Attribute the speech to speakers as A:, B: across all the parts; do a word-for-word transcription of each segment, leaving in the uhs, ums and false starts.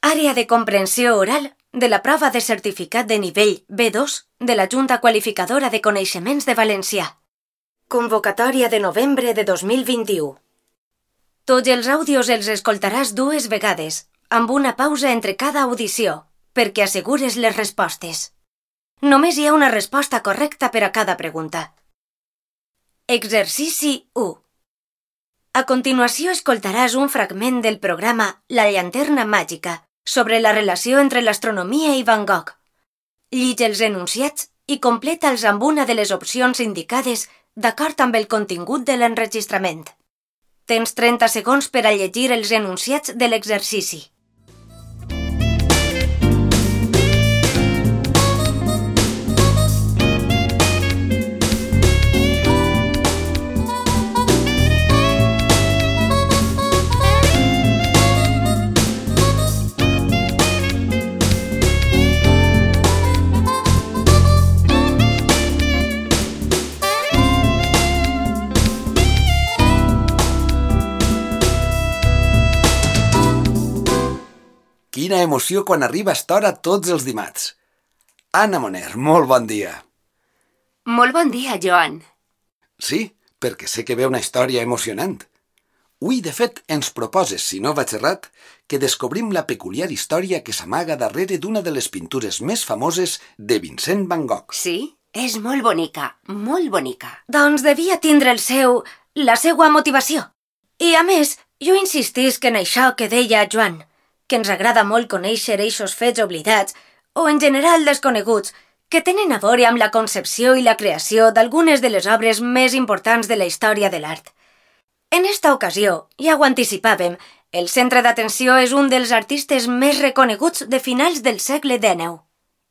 A: Àrea de comprensió oral de la prova de certificat de nivell B dos de la Junta Qualificadora de Coneixements de Valencià. Convocatòria de novembre de dos mil vint-i-u. Tots els àudios els escoltaràs dues vegades, amb una pausa entre cada audició, perquè assegures les respostes. Només hi ha una resposta correcta per a cada pregunta. Exercici u. A continuació escoltaràs un fragment del programa La llanterna màgica sobre la relació entre l'astronomia i Van Gogh. Llig els enunciats i completa'ls amb una de les opcions indicades d'acord amb el contingut de l'enregistrament. Tens trenta segons per a llegir els enunciats de l'exercici.
B: Quina emoció quan arriba esta hora tots els dimarts. Anna Moner, molt bon dia.
C: Molt bon dia, Joan.
B: Sí, perquè sé que ve una història emocionant. Ui, de fet, ens proposes, si no vaig errat, que descobrim la peculiar història que s'amaga darrere d'una de les pintures més famoses de Vincent Van Gogh.
C: Sí, és molt bonica, molt bonica.
A: Doncs devia tindre el seu... la seua motivació. I, a més, jo insistisc en això que deia Joan, que ens agrada molt conèixer eixos fets oblidats, o en general desconeguts, que tenen a veure amb la concepció i la creació d'algunes de les obres més importants de la història de l'art. En esta ocasió, ja ho anticipàvem, el centre d'atenció és un dels artistes més reconeguts de finals del segle dènou.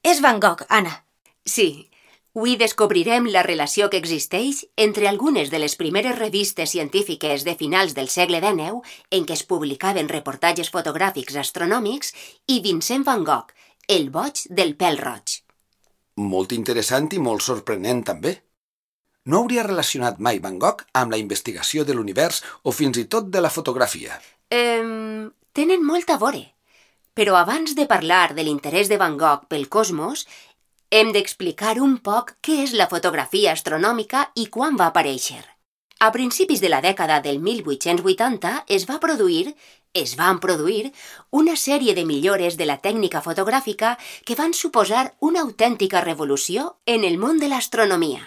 A: És Van Gogh, Anna.
C: Sí, avui descobrirem la relació que existeix entre algunes de les primeres revistes científiques de finals del segle dènou en què es publicaven reportatges fotogràfics astronòmics i Vincent Van Gogh, el boig del pèl roig.
B: Molt interessant i molt sorprenent també. No hauria relacionat mai Van Gogh amb la investigació de l'univers o fins i tot de la fotografia.
C: Eh, tenen molt a veure. Però abans de parlar de l'interès de Van Gogh pel cosmos, hem d'explicar un poc què és la fotografia astronòmica i quan va aparèixer. A principis de la dècada del mil vuit-cents vuitanta es va produir, es van produir, una sèrie de millores de la tècnica fotogràfica que van suposar una autèntica revolució en el món de l'astronomia.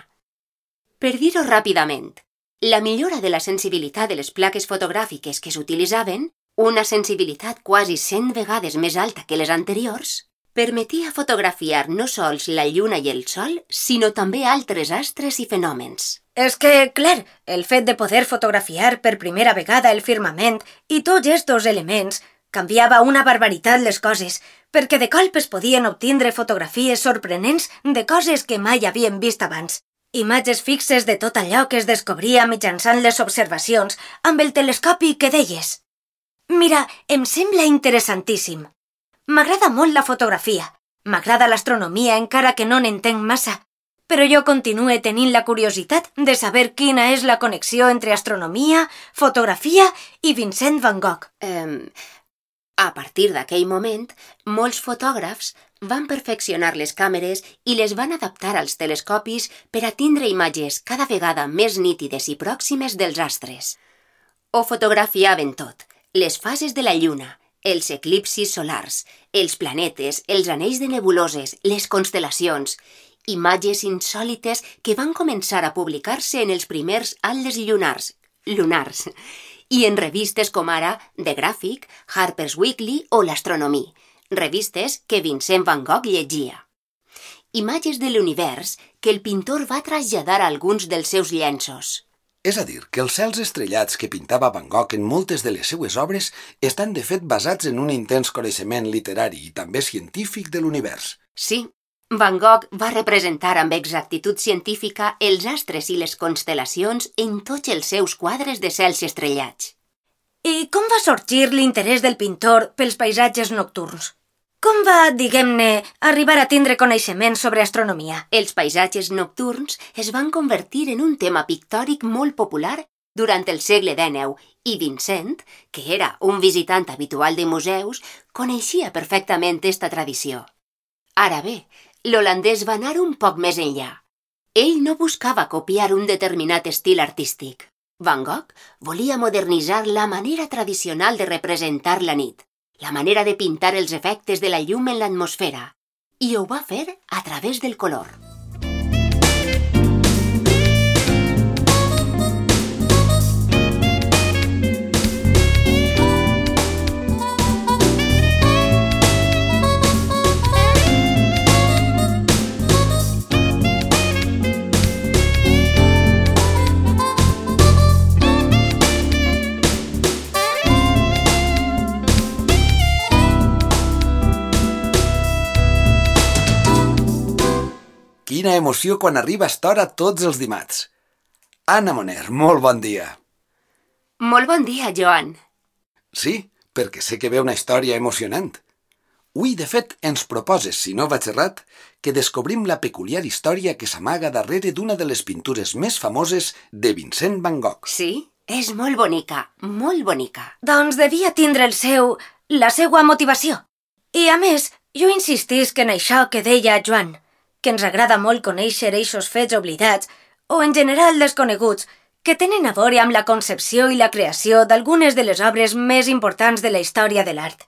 C: Per dir-ho ràpidament, la millora de la sensibilitat de les plaques fotogràfiques que s'utilitzaven, una sensibilitat quasi cent vegades més alta que les anteriors, permetia fotografiar no sols la lluna i el sol, sinó també altres astres i fenòmens.
A: És que, clar, el fet de poder fotografiar per primera vegada el firmament i tots estos elements canviava una barbaritat les coses, perquè de colp es podien obtindre fotografies sorprenents de coses que mai havien vist abans. Imatges fixes de tot allò que es descobria mitjançant les observacions amb el telescopi que deies. Mira, em sembla interessantíssim. M'agrada molt la fotografia, m'agrada l'astronomia encara que no n'entenc massa, però jo continuo tenint la curiositat de saber quina és la connexió entre astronomia, fotografia i Vincent Van Gogh.
C: Eh, a partir d'aquell moment, molts fotògrafs van perfeccionar les càmeres i les van adaptar als telescopis per a tindre imatges cada vegada més nítides i pròximes dels astres. Ho fotografiaven tot, les fases de la lluna, els eclipsis solars, els planetes, els anells de nebuloses, les constel·lacions, imatges insòlites que van començar a publicar-se en els primers atles llunars, lunars, i en revistes com ara The Graphic, Harper's Weekly o l'Astronomí, revistes que Vincent Van Gogh llegia. Imatges de l'univers que el pintor va traslladar a alguns dels seus llenços.
B: És a dir, que els cels estrellats que pintava Van Gogh en moltes de les seues obres estan de fet basats en un intens coneixement literari i també científic de l'univers.
C: Sí, Van Gogh va representar amb exactitud científica els astres i les constel·lacions en tots els seus quadres de cels estrellats.
A: I com va sorgir l'interès del pintor pels paisatges nocturns? Com va, diguem-ne, arribar a tindre coneixements sobre astronomia?
C: Els paisatges nocturns es van convertir en un tema pictòric molt popular durant el segle dènou i Vincent, que era un visitant habitual de museus, coneixia perfectament esta tradició. Ara bé, l'holandès va anar un poc més enllà. Ell no buscava copiar un determinat estil artístic. Van Gogh volia modernitzar la manera tradicional de representar la nit, la manera de pintar els efectes de la llum en l'atmosfera, i ho va fer a través del color.
B: Quina emoció quan arriba esta hora tots els dimarts. Anna Moner, molt bon dia.
C: Molt bon dia, Joan.
B: Sí, perquè sé que ve una història emocionant. Ui, de fet, ens proposes, si no vaig errat, que descobrim la peculiar història que s'amaga darrere d'una de les pintures més famoses de Vincent Van Gogh.
C: Sí, és molt bonica, molt bonica.
A: Doncs devia tindre el seu... la seua motivació. I, a més, jo insistisc en això que deia Joan, que ens agrada molt conèixer eixos fets oblidats, o en general desconeguts, que tenen a veure amb la concepció i la creació d'algunes de les obres més importants de la història de l'art.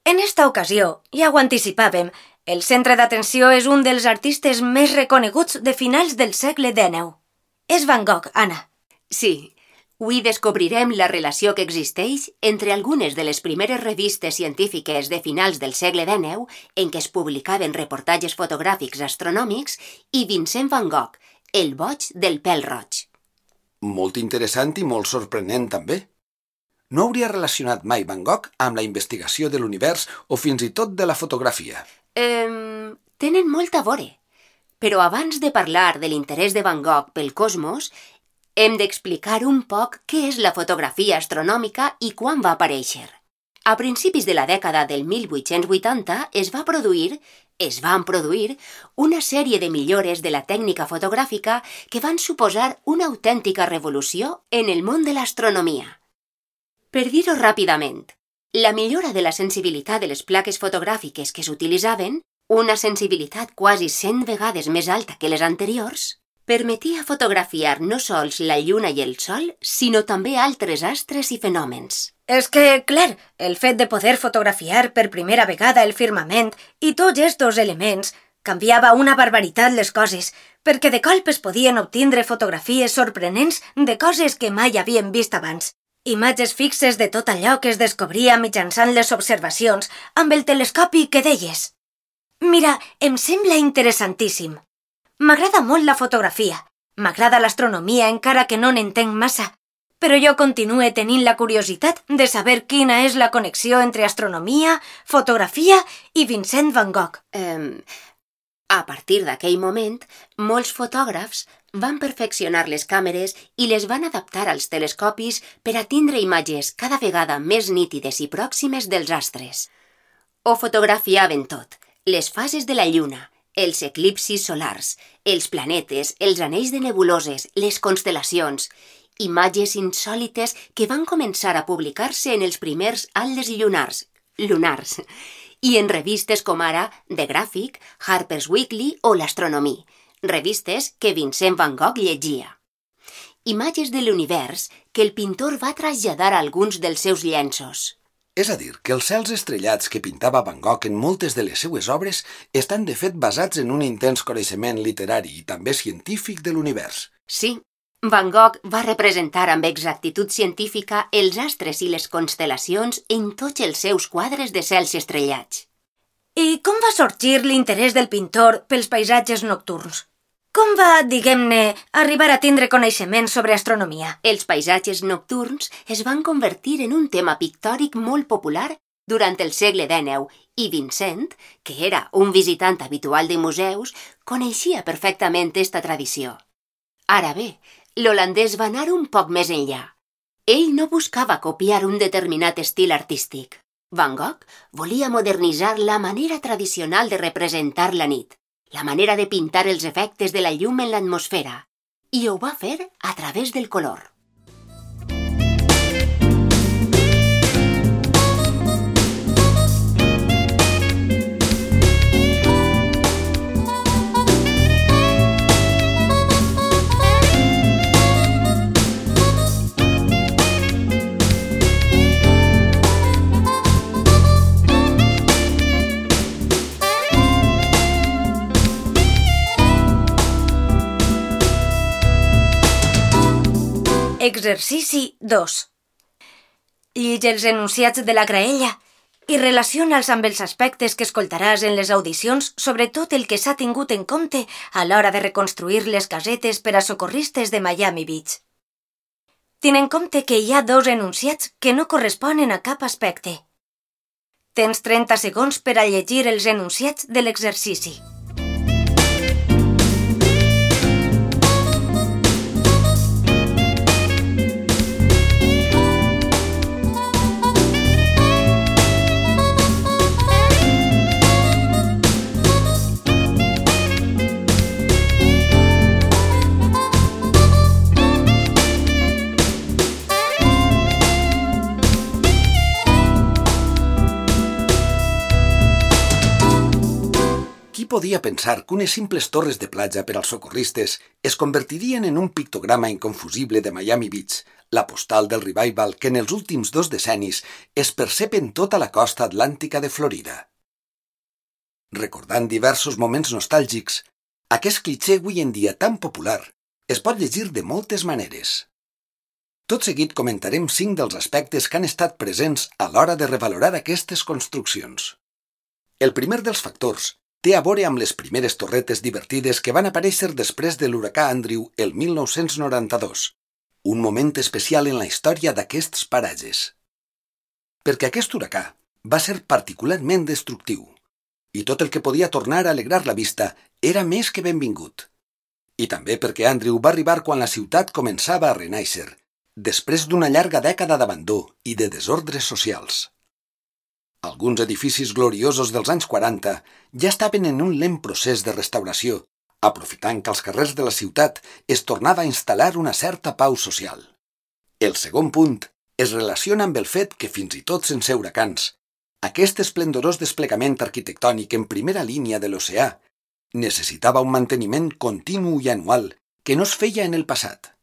A: En esta ocasió, ja ho anticipàvem, el centre d'atenció és un dels artistes més reconeguts de finals del segle dènou. És Van Gogh, Anna.
C: Sí, avui descobrirem la relació que existeix entre algunes de les primeres revistes científiques de finals del segle dènou en què es publicaven reportatges fotogràfics astronòmics i Vincent Van Gogh, el boig del pèl roig.
B: Molt interessant i molt sorprenent també. No hauria relacionat mai Van Gogh amb la investigació de l'univers o fins i tot de la fotografia.
C: Eh, tenen molt a veure. Però abans de parlar de l'interès de Van Gogh pel cosmos, hem d'explicar un poc què és la fotografia astronòmica i quan va aparèixer. A principis de la dècada del mil vuit-cents vuitanta es va produir, es van produir, una sèrie de millores de la tècnica fotogràfica que van suposar una autèntica revolució en el món de l'astronomia. Per dir-ho ràpidament, la millora de la sensibilitat de les plaques fotogràfiques que s'utilitzaven, una sensibilitat quasi cent vegades més alta que les anteriors, permetia fotografiar no sols la lluna i el sol, sinó també altres astres i fenòmens.
A: És que, clar, el fet de poder fotografiar per primera vegada el firmament i tots estos elements canviava una barbaritat les coses, perquè de colp es podien obtindre fotografies sorprenents de coses que mai havien vist abans. Imatges fixes de tot allò que es descobria mitjançant les observacions amb el telescopi que deies. Mira, em sembla interessantíssim. M'agrada molt la fotografia, m'agrada l'astronomia encara que no n'entenc massa, però jo continue tenint la curiositat de saber quina és la connexió entre astronomia, fotografia i Vincent Van Gogh.
C: Eh, a partir d'aquell moment, molts fotògrafs van perfeccionar les càmeres i les van adaptar als telescopis per a tindre imatges cada vegada més nítides i pròximes dels astres. Ho fotografiaven tot, les fases de la lluna, els eclipsis solars, els planetes, els anells de nebuloses, les constel·lacions, imatges insòlites que van començar a publicar-se en els primers atles llunars, lunars, i en revistes com ara The Graphic, Harper's Weekly o l'Astronomy, revistes que Vincent Van Gogh llegia. Imatges de l'univers que el pintor va traslladar a alguns dels seus llenços.
B: És a dir, que els cels estrellats que pintava Van Gogh en moltes de les seues obres estan de fet basats en un intens coneixement literari i també científic de l'univers.
C: Sí, Van Gogh va representar amb exactitud científica els astres i les constel·lacions en tots els seus quadres de cels estrellats.
A: I com va sorgir l'interès del pintor pels paisatges nocturns? Com va, diguem-ne, arribar a tindre coneixements sobre astronomia?
C: Els paisatges nocturns es van convertir en un tema pictòric molt popular durant el segle dènou i Vincent, que era un visitant habitual de museus, coneixia perfectament esta tradició. Ara bé, l'holandès va anar un poc més enllà. Ell no buscava copiar un determinat estil artístic. Van Gogh volia modernitzar la manera tradicional de representar la nit, la manera de pintar els efectes de la llum en l'atmosfera, i ho va fer a través del color.
A: Exercici dos. Llige els enunciats de la graella i relaciona'ls amb els aspectes que escoltaràs en les audicions, sobretot el que s'ha tingut en compte a l'hora de reconstruir les casetes per a socorristes de Miami Beach. Ten en compte que hi ha dos enunciats que no corresponen a cap aspecte. Tens trenta segons per a llegir els enunciats de l'exercici.
B: Qui podia pensar que unes simples torres de platja per als socorristes es convertirien en un pictograma inconfusible de Miami Beach, la postal del revival que en els últims dos decennis es percep en tota la costa atlàntica de Florida? Recordant diversos moments nostàlgics, aquest clitxé avui en dia tan popular es pot llegir de moltes maneres. Tot seguit comentarem cinc dels aspectes que han estat presents a l'hora de revalorar aquestes construccions. El primer dels factors té a veure amb les primeres torretes divertides que van aparèixer després de l'huracà Andrew el mil nou-cents noranta-dos, un moment especial en la història d'aquests paratges. Perquè aquest huracà va ser particularment destructiu, i tot el que podia tornar a alegrar la vista era més que benvingut. I també perquè Andrew va arribar quan la ciutat començava a renaixer, després d'una llarga dècada d'abandó i de desordres socials. Alguns edificis gloriosos dels anys quaranta ja estaven en un lent procés de restauració, aprofitant que als carrers de la ciutat es tornava a instal·lar una certa pau social. El segon punt es relaciona amb el fet que, fins i tot sense huracans, aquest esplendorós desplegament arquitectònic en primera línia de l'oceà necessitava un manteniment continu i anual que no es feia en el passat.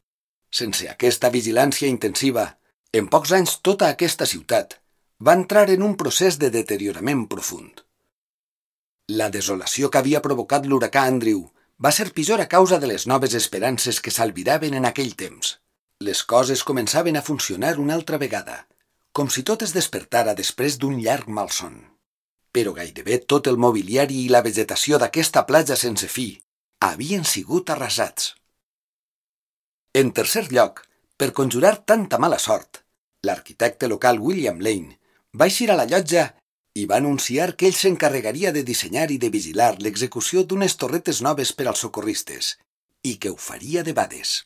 B: Sense aquesta vigilància intensiva, en pocs anys tota aquesta ciutat va entrar en un procés de deteriorament profund. La desolació que havia provocat l'huracà Andrew va ser pitjor a causa de les noves esperances que s'albiraven en aquell temps. Les coses començaven a funcionar una altra vegada, com si tot es despertara després d'un llarg malson. Però gairebé tot el mobiliari i la vegetació d'aquesta platja sense fi havien sigut arrasats. En tercer lloc, per conjurar tanta mala sort, l'arquitecte local William Lane va eixir a la llotja i va anunciar que ell s'encarregaria de dissenyar i de vigilar l'execució d'unes torretes noves per als socorristes i que ho faria debades.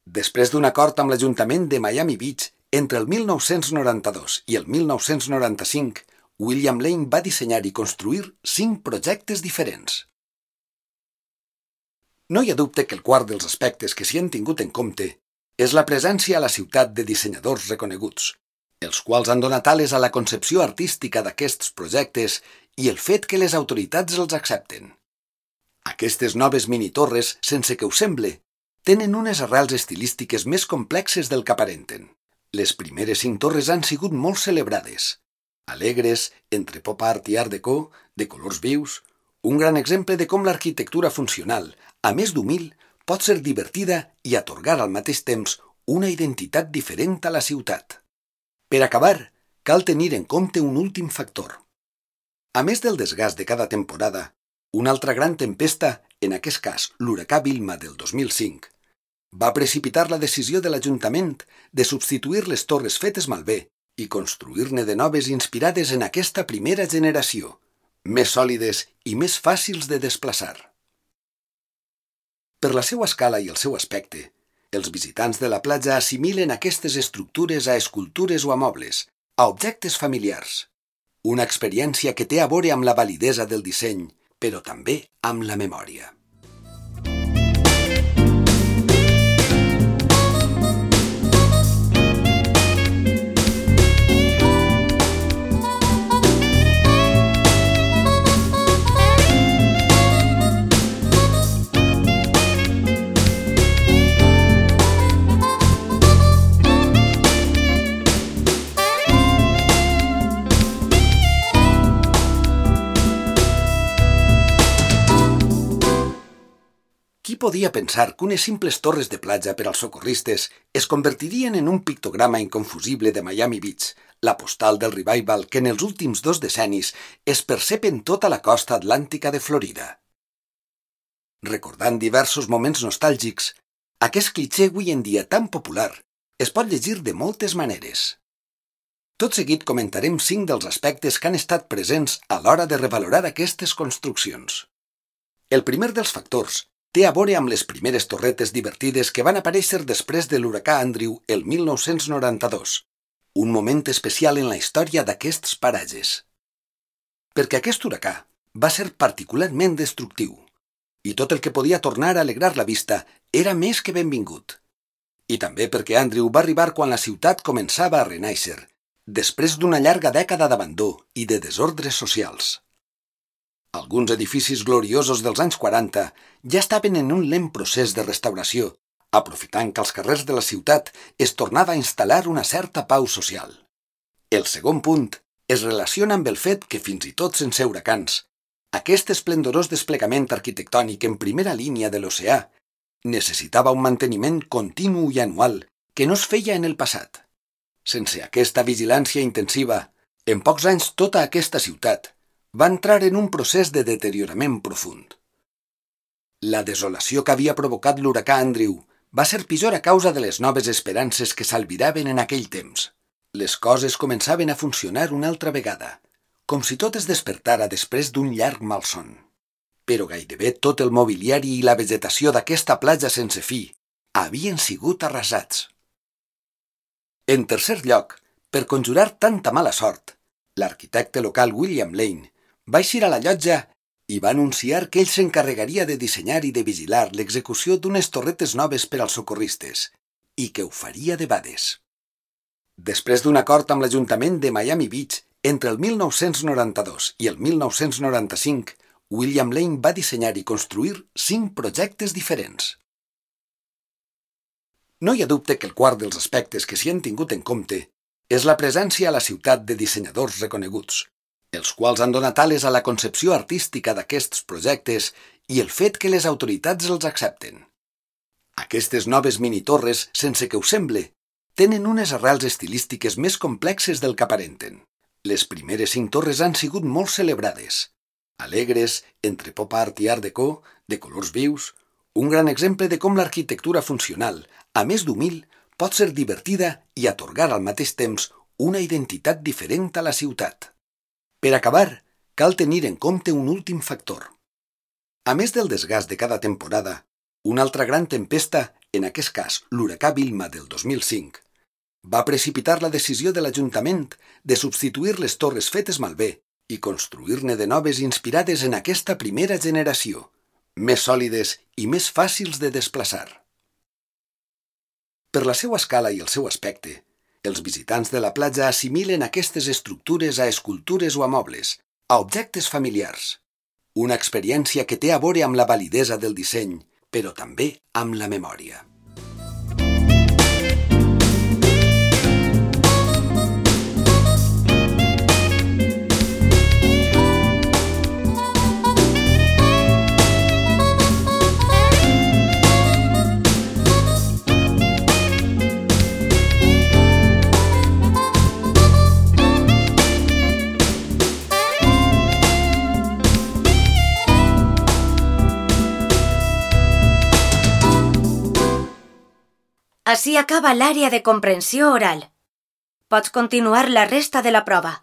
B: Després d'un acord amb l'Ajuntament de Miami Beach entre el mil nou-cents noranta-dos i el mil nou-cents noranta-cinc, William Lane va dissenyar i construir cinc projectes diferents. No hi ha dubte que el quart dels aspectes que s'hi han tingut en compte és la presència a la ciutat de dissenyadors reconeguts, els quals han donat ales a la concepció artística d'aquests projectes i el fet que les autoritats els accepten. Aquestes noves mini-torres, sense que ho semble, tenen unes arrels estilístiques més complexes del que aparenten. Les primeres cinc torres han sigut molt celebrades, alegres, entre pop art i art déco, de colors vius, un gran exemple de com l'arquitectura funcional, a més d'humil, pot ser divertida i atorgar al mateix temps una identitat diferent a la ciutat. Per acabar, cal tenir en compte un últim factor. A més del desgast de cada temporada, una altra gran tempesta, en aquest cas l'huracà Vilma del dos mil cinc, va precipitar la decisió de l'Ajuntament de substituir les torres fetes malbé i construir-ne de noves inspirades en aquesta primera generació, més sòlides i més fàcils de desplaçar. Per la seva escala i el seu aspecte, els visitants de la platja assimilen aquestes estructures a escultures o a mobles, a objectes familiars. Una experiència que té a veure amb la validesa del disseny, però també amb la memòria. Qui podia pensar que unes simples torres de platja per als socorristes es convertirien en un pictograma inconfusible de Miami Beach, la postal del revival que en els últims dos decennis es percep en tota la costa atlàntica de Florida? Recordant diversos moments nostàlgics, aquest clitxé avui en dia tan popular es pot llegir de moltes maneres. Tot seguit comentarem cinc dels aspectes que han estat presents a l'hora de revalorar aquestes construccions. El primer dels factors té a veure amb les primeres torretes divertides que van aparèixer després de l'huracà Andrew el mil nou-cents noranta-dos, un moment especial en la història d'aquests paratges. Perquè aquest huracà va ser particularment destructiu, i tot el que podia tornar a alegrar la vista era més que benvingut. I també perquè Andrew va arribar quan la ciutat començava a renaixer, després d'una llarga dècada d'abandó i de desordres socials. Alguns edificis gloriosos dels anys quaranta ja estaven en un lent procés de restauració, aprofitant que als carrers de la ciutat es tornava a instal·lar una certa pau social. El segon punt es relaciona amb el fet que fins i tot sense huracans, aquest esplendorós desplegament arquitectònic en primera línia de l'oceà necessitava un manteniment continu i anual que no es feia en el passat. Sense aquesta vigilància intensiva, en pocs anys tota aquesta ciutat va entrar en un procés de deteriorament profund. La desolació que havia provocat l'huracà Andrew va ser pitjor a causa de les noves esperances que s'albiraven en aquell temps. Les coses començaven a funcionar una altra vegada, com si tot es despertara després d'un llarg malson. Però gairebé tot el mobiliari i la vegetació d'aquesta platja sense fi havien sigut arrasats. En tercer lloc, per conjurar tanta mala sort, l'arquitecte local William Lane va eixir a la llotja i va anunciar que ell s'encarregaria de dissenyar i de vigilar l'execució d'unes torretes noves per als socorristes i que ho faria debades. Després d'un acord amb l'Ajuntament de Miami Beach entre el mil nou-cents noranta-dos i el mil nou-cents noranta-cinc, William Lane va dissenyar i construir cinc projectes diferents. No hi ha dubte que el quart dels aspectes que s'hi han tingut en compte és la presència a la ciutat de dissenyadors reconeguts, els quals han donat ales a la concepció artística d'aquests projectes i el fet que les autoritats els accepten. Aquestes noves mini-torres, sense que ho semble, tenen unes arrels estilístiques més complexes del que aparenten. Les primeres cinc torres han sigut molt celebrades, alegres, entre pop art i art déco, de colors vius, un gran exemple de com l'arquitectura funcional, a més d'humil, pot ser divertida i atorgar al mateix temps una identitat diferent a la ciutat. Per acabar, cal tenir en compte un últim factor. A més del desgast de cada temporada, una altra gran tempesta, en aquest cas l'huracà Vilma del dos mil cinc, va precipitar la decisió de l'Ajuntament de substituir les torres fetes malbé i construir-ne de noves inspirades en aquesta primera generació, més sòlides i més fàcils de desplaçar. Per la seva escala i el seu aspecte, els visitants de la platja assimilen aquestes estructures a escultures o a mobles, a objectes familiars. Una experiència que té a veure amb la validesa del disseny, però també amb la memòria.
A: Així acaba l'àrea de comprensió oral. Pots continuar la resta de la prova.